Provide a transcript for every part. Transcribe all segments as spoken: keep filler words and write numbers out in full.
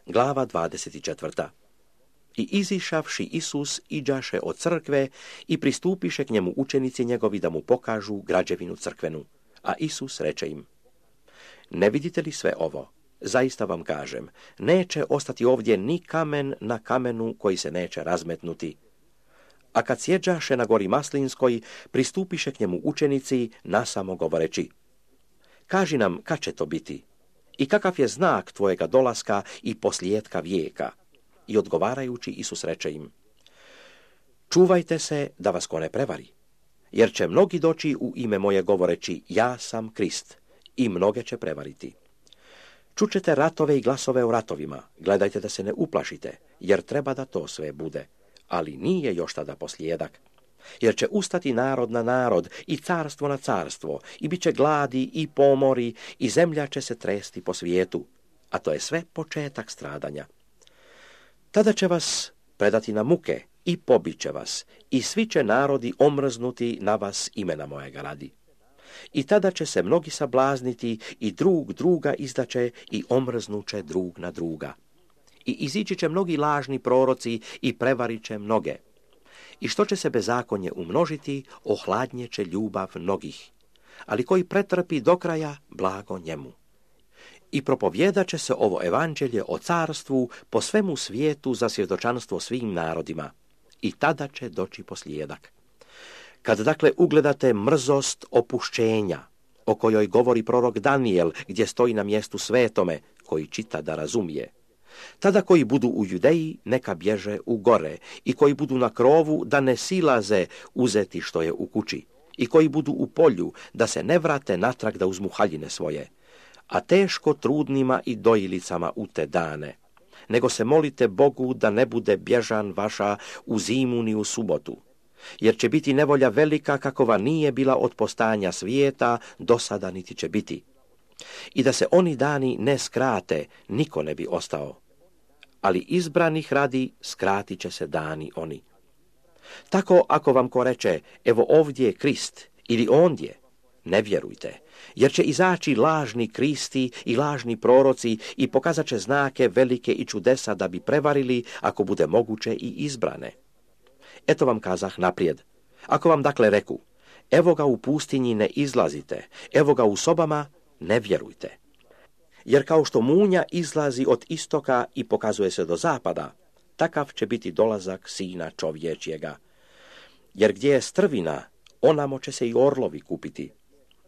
Glava dvadeset četvrta. I izišavši Isus iđaše od crkve i pristupiše k njemu učenici njegovi da mu pokažu građevinu crkvenu. A Isus reče im: Ne vidite li sve ovo? Zaista vam kažem, neće ostati ovdje ni kamen na kamenu koji se neće razmetnuti. A kad sjeđaše na gori Maslinskoj, pristupiše k njemu učenici nasamo govoreći: Kaži nam kad će to biti i kakav je znak tvojega dolaska i poslijetka vijeka. I odgovarajući Isus reče im: Čuvajte se da vas ko ne prevari, jer će mnogi doći u ime moje govoreći: Ja sam Krist, i mnoge će prevariti. Čućete ratove i glasove o ratovima, gledajte da se ne uplašite, jer treba da to sve bude, ali nije još tada poslijedak. Jer će ustati narod na narod i carstvo na carstvo, i bit će gladi i pomori, i zemlja će se tresti po svijetu, a to je sve početak stradanja. Tada će vas predati na muke i pobit će vas, i svi će narodi omrznuti na vas imena mojega radi. I tada će se mnogi sablazniti i drug druga izdaće i omrznuće drug na druga. I izići će mnogi lažni proroci i prevarit će mnoge. I što će se bezakonje umnožiti, ohladnje će ljubav mnogih. Ali koji pretrpi do kraja, blago njemu. I propovjedat će se ovo evanđelje o carstvu po svemu svijetu za svjedočanstvo svim narodima. I tada će doći poslijedak. Kad dakle ugledate mrzost opušćenja, o kojoj govori prorok Danijel, gdje stoji na mjestu svetome, koji čita da razumije, tada koji budu u Judeji, neka bježe u gore, i koji budu na krovu, da ne silaze uzeti što je u kući, i koji budu u polju, da se ne vrate natrag da uzmu haljine svoje, a teško trudnima i dojilicama u te dane. Nego se molite Bogu da ne bude bježan vaša u zimu ni u subotu, jer će biti nevolja velika kakova nije bila od postajanja svijeta, do sada niti će biti. I da se oni dani ne skrate, niko ne bi ostao. Ali izbranih radi skratit će se dani oni. Tako ako vam ko reče: Evo ovdje je Krist, ili ondje, ne vjerujte, jer će izaći lažni Kristi i lažni proroci i pokazat će znake velike i čudesa da bi prevarili, ako bude moguće, i izbrane. Eto vam kazah naprijed. Ako vam dakle reku: Evo ga u pustinji, ne izlazite, evo ga u sobama, ne vjerujte. Jer kao što munja izlazi od istoka i pokazuje se do zapada, takav će biti dolazak Sina čovječjega. Jer gdje je strvina, onamo će se i orlovi kupiti.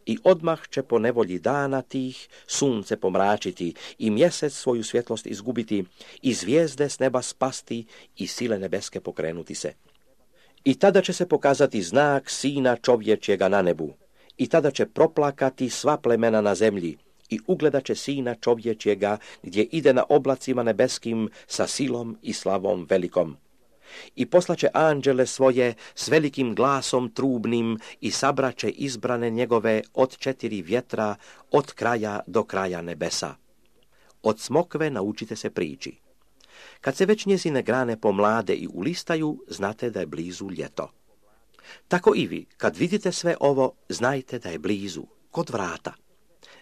I odmah će po nevolji dana tih sunce pomračiti i mjesec svoju svjetlost izgubiti i zvijezde s neba spasti i sile nebeske pokrenuti se. I tada će se pokazati znak Sina čovječjega na nebu. I tada će proplakati sva plemena na zemlji i ugledat će Sina čovječjega gdje ide na oblacima nebeskim sa silom i slavom velikom. I poslaće anđele svoje s velikim glasom trubnim i sabraće izbrane njegove od četiri vjetra, od kraja do kraja nebesa. Od smokve naučite se priči. Kad se već njezine grane pomlade i ulistaju, znate da je blizu ljeto. Tako i vi, kad vidite sve ovo, znajte da je blizu, kod vrata.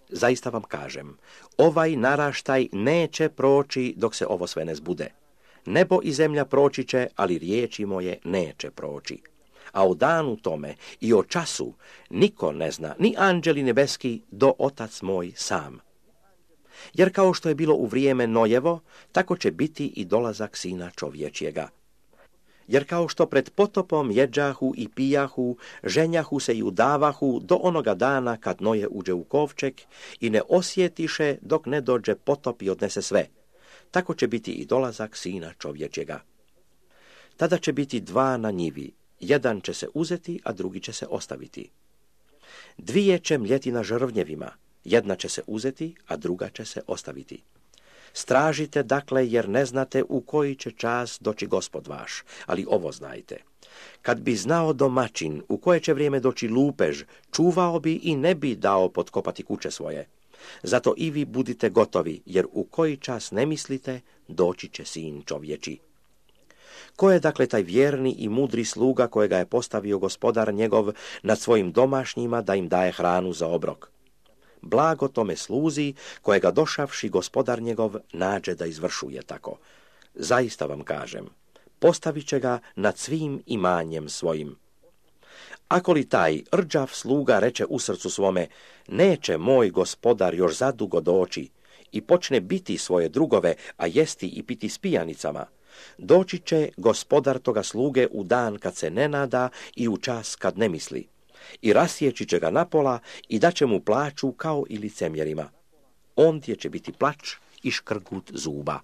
Zaista vam kažem, ovaj naraštaj neće proći dok se ovo sve ne zbude. Nebo i zemlja proći će, ali riječi moje neće proći. A o danu tome i o času niko ne zna, ni anđeli nebeski, do Otac moj sam. Jer kao što je bilo u vrijeme Nojevo, tako će biti i dolazak Sina čovječjega. Jer kao što pred potopom jeđahu i pijahu, ženjahu se i udavahu do onoga dana kad Noje uđe u kovčeg i ne osjetiše dok ne dođe potop i odnese sve, tako će biti i dolazak Sina čovječjega. Tada će biti dva na njivi, jedan će se uzeti, a drugi će se ostaviti. Dvije će mljeti na žrvnjevima, jedna će se uzeti, a druga će se ostaviti. Stražite dakle, jer ne znate u koji će čas doći Gospod vaš, ali ovo znajte. Kad bi znao domaćin u koje će vrijeme doći lupež, čuvao bi i ne bi dao potkopati kuće svoje. Zato i vi budite gotovi, jer u koji čas ne mislite, doći će Sin čovječi. Ko je dakle taj vjerni i mudri sluga kojega je postavio gospodar njegov nad svojim domašnjima da im daje hranu za obrok? blago tome sluzi, kojega došavši gospodar njegov nađe da izvršuje tako. Zaista vam kažem, postavit će ga nad svim imanjem svojim. Ako li taj rđav sluga reče u srcu svome, neće moj gospodar još zadugo doći, i počne biti svoje drugove, a jesti i piti s pijanicama, doći će gospodar toga sluge u dan kad se ne nada i u čas kad ne misli, i rasjeći će ga napola i daće mu plaću kao i licemjerima. Ondje će biti plač i škrgut zuba.